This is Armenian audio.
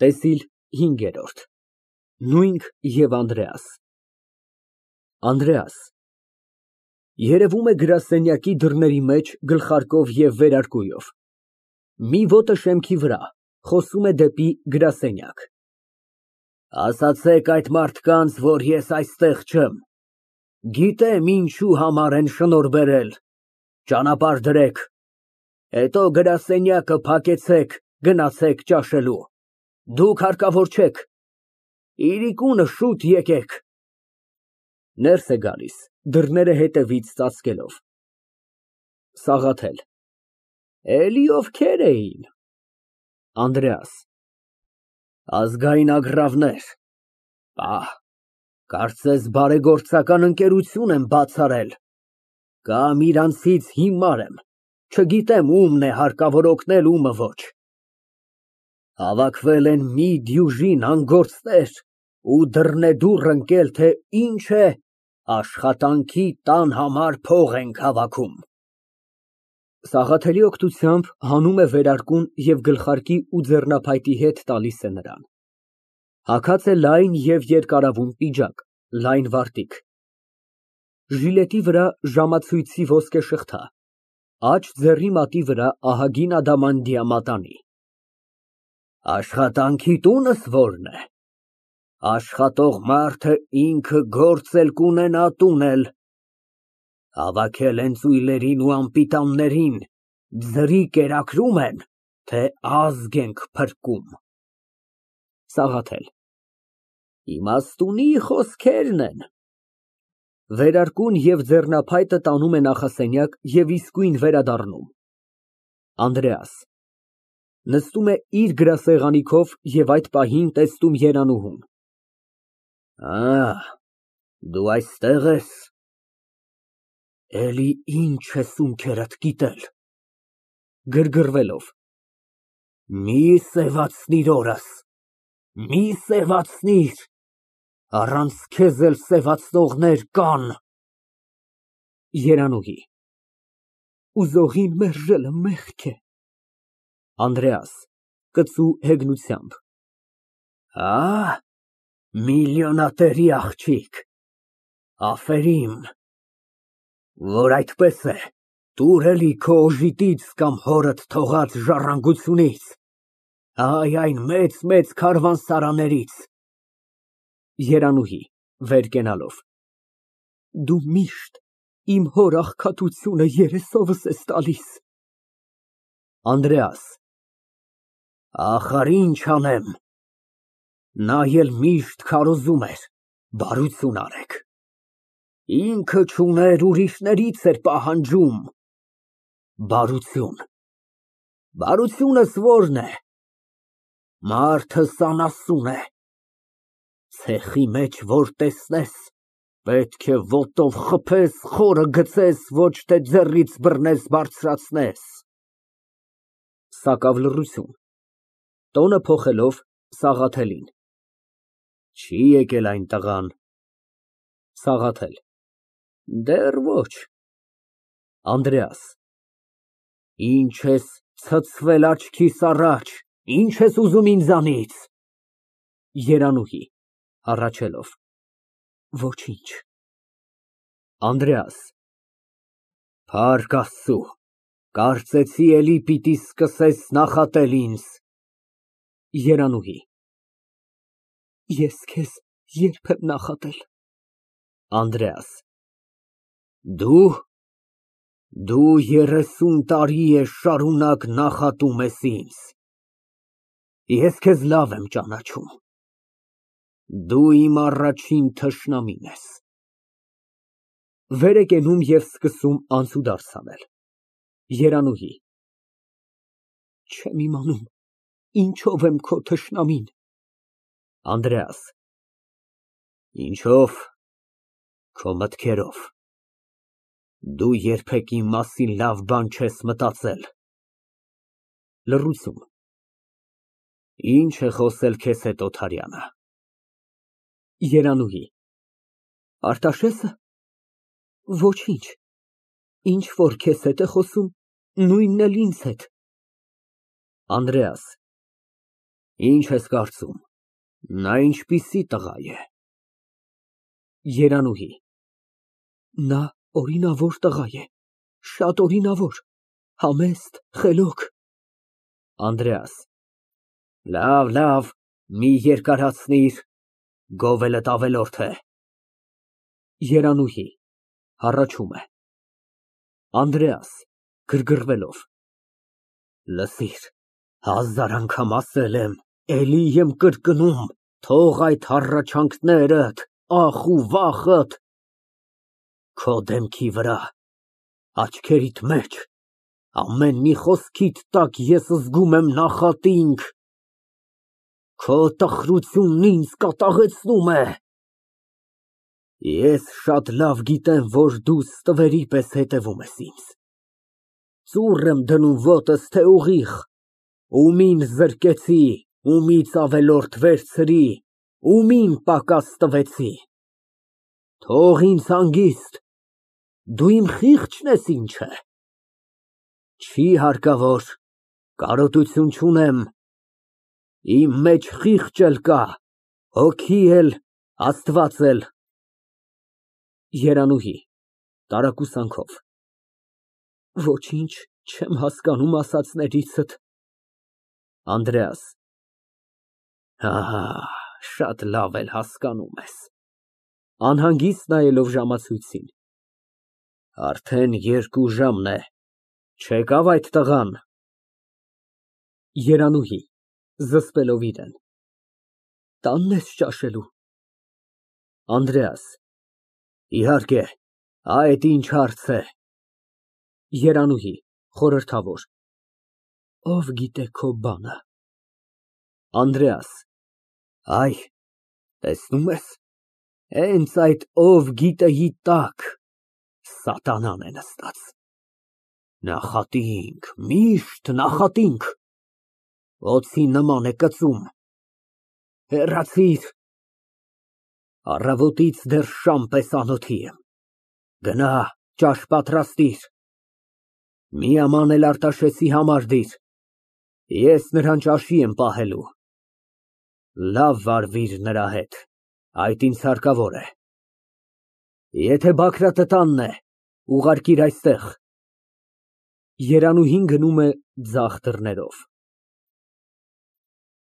ՏԵՍԻԼ հինգերորդ նույնք և Անդրեաս ԱՆԴՐԵԱՍ ֊ Երևում է գրասենյակի դռների մեջ գլխարկով և վերարկուով, մի ոտը շեմքի վրա, խոսում է դեպի գրասենյակ։ Ասացեք այդ մարդկանց, որ ես այստեղ չեմ, գիտեմ ինչի համար են շնորհ բերել, ճանապարհ դրեք, հետո գրասենյակը փակեցեք, գնացեք ճաշելու, դուք հարկավոր չեք, իրիկունը շուտ եկեք։ (Ներս է գալիս, դռները հետևից ծածկելով)։ ՍԱՂԱԹԵԼ ֊ Էլի ովքեր էին։ ԱՆԴՐԵԱՍ ֊ Ազգային ագռավներ, պահ, կարծես բարեգործական ընկերություն եմ բաց արել, կամ իրանցից հիմար եմ, չգիտեմ ումն է հարկավոր օգնել, ումը ոչ։ Հավաքվել են մի դյուժին անգործներ ու դռնեդուռ ընկել, թե ինչ է, աշխատանքի տան համար փող ենք հավաքում։ (Սաղաթելի օգնությամբ հանում է վերարկուն և գլխարկի ու ձեռնոցների հետ տալիս է նրան։ Հագած է լայն և երկարավուն պիջակ, լայն վարտիք, ժիլետի վրա ժամացույցի ոսկե շղթա, աջ ձեռքի մատի վրա ահագին ադամանդյա մատանի)։ Աշխատանքի տունս ո՞րն է։ Աշխատող մարդը ինքը գործ էլ կունենա, տուն էլ։ Հավաքել են ծույլերին ու անպիտաններին, ձրի կերակրում են, թե ազգ ենք փրկում։ ՍԱՂԱԹԵԼ ֊ Իմաստունի խոսքերն են։ (Վերարկուն և ձեռնոցը տանում է նախասենյակ և իսկույն վերադառնում)։ ԱՆԴՐԵԱՍ ֊ (Նստում է իր գրասեղանի քով և այդ պահին տեսնում Երանուհուն) Դու այստեղ ես, էլի ինչ ես ունքերդ կիտել։ (Գրգռվելով) Մի սևացնիր օրս, մի սևացնիր, առանց քեզ էլ սևացնողներ կան։ ԵՐԱՆՈՒՀԻ ֊ Ուզողին մերժելը մեղք է։ ԱՆԴՐԵԱՍ ֊ (Կծու հեգնությամբ) Միլիոնատերի աղջիկ, որ այդպես է, տուր էլի քո օժիտից կամ հորդ թողած ժառանգությունից, այն մեծ քարավաններից։ ԵՐԱՆՈՒՀԻ ֊ (Վեր կենալով) Դու միշտ իմ հոր աղքատությունը երեսովս ես տալիս։ ԱՆԴՐԵԱՍ ֊ Ախար, ինչ անեմ, նա էլ միշտ քարոզում էր, բարություն արեք, ինքը չուներ, ուրիշներից էր պահանջում։ Բարությունս ո՞րն է։ Մարդս անասուն է, ցեխի մեջ որ տեսնես, պետք է ոտով խփես, խորը գցես, ոչ թե ձեռքից բռնես բարձրացնես։ (Սակավ լռություն) Տոնը փոխելով, Սաղաթելին Չի եկել այն տղան։ ՍԱՂԱԹԵԼ ֊ Դեռ ոչ։ ԱՆԴՐԵԱՍ ֊ Ինչ ես ցցվել աչքիս առաջ, ինչ ես ուզում ինձանից։ ԵՐԱՆՈՒՀԻ ֊ (Հառաչելով) Ոչինչ։ ԱՆԴՐԵԱՍ ֊ Փառք Աստծու, կարծեցի էլի պիտի սկսես նախատել ինձ։ ԵՐԱՆՈՒՀԻ ֊ Ես քեզ ե՞րբ եմ նախատել։ ԱՆԴՐԵԱՍ ֊ Դու 30 տարի է շարունակ նախատում ես ինձ։ Ես քեզ լավ եմ ճանաչում, դու իմ առաջին թշնամին ես։ (Վեր է կենում և սկսում անցուդարձ անել)։ ԵՐԱՆՈՒՀԻ ֊ Չեմ իմանում ինչով եմ քո թշնամին։ ԱՆԴՐԵԱՍ ֊ Ինչո՞վ, քո մտքերով, դու երբեք իմ մասին լավ բան չես մտածել։ (Լռություն) Ի՞նչ է խոսել քեզ հետ Օթարյանը։ ԵՐԱՆՈՒՀԻ ֊ Արտաշե՞սը։ Ոչինչ, ինչ որ քեզ հետ է խոսում, նույնն էլ ինձ հետ։ ԱՆԴՐԵԱՍ ֊ Ինչ ես կարծում, նա ինչպիսի տղա է։ ԵՐԱՆՈՒՀԻ ֊ Նա օրինավոր տղա է, շատ օրինավոր, համեստ, խելոք։ ԱՆԴՐԵԱՍ ֊ Լավ, մի երկարացնիր, գովելդ ավելորդ է։ ԵՐԱՆՈՒՀԻ ֊ (Հառաչում է)։ ԱՆԴՐԵԱՍ ֊ (Գրգռվելով) Լսիր, 1000 անգամ ասել եմ, էլի եմ կրկնում, թող այդ հառաչանքներդ, ախ ու վախդ քո դեմքի վրա, աչքերիդ մեջ, ամեն մի խոսքիդ տակ ես զգում եմ նախատինք, քո տխրությունն ինձ կատաղեցնում է։ Ես շատ լավ գիտեմ, որ դու ստվերի պես հետևում ես ինձ, ծուռ եմ դնում ոտս, թե ուղիղ, ումին զրկեցի, ումից ավելորդ վերցրի, ումին պակաս տվեցի, թող ինձ հանգիստ, դու իմ խիղճն ես, ինչ է։ Չի հարկավոր, կարոտություն չունեմ, իմ մեջ խիղճ էլ կա, հոգի էլ, Աստված էլ։ ԵՐԱՆՈՒՀԻ ֊ (Տարակուսանքով) Ոչինչ չեմ հասկանում ասածներիցդ։ ԱՆԴՐԵԱՍ ֊ Ահա, շատ լավ էլ հասկանում ես։ (Անհանգիստ նայելով ժամացույցին) Արդեն 2 ժամն է, չեկավ այդ տղան։ ԵՐԱՆՈՒՀԻ ֊ (Զսպելով իրեն) Տանն ես ճաշելու։ ԱՆԴՐԵԱՍ ֊ Իհարկե, այդ ինչ հարց է։ ԵՐԱՆՈՒՀԻ ֊ (Խորհրդավոր) Ով գիտե քո բանը։ ԱՆԴՐԵԱՍ ֊ Այ, տեսնում ես, հենց այդ «ով գիտեի» տակ սատանան է նստած։ Նախատինք, միշտ նախատինք, օձի նման է կծում։ Հեռացիր, առավոտից դեռ շամ պես անոթի եմ, գնա, ճաշ պատրաստիր, մի աման էլ Արտաշեսի համար դիր, ես նրան ճաշի եմ պահելու, լավ վարվիր նրա հետ, այդ ինձ հարկավոր է, եթե Բագրատը տանն է, ուղարկիր այստեղ։ ԵՐԱՆՈՒՀԻՆ գնում է ձախ դռներով։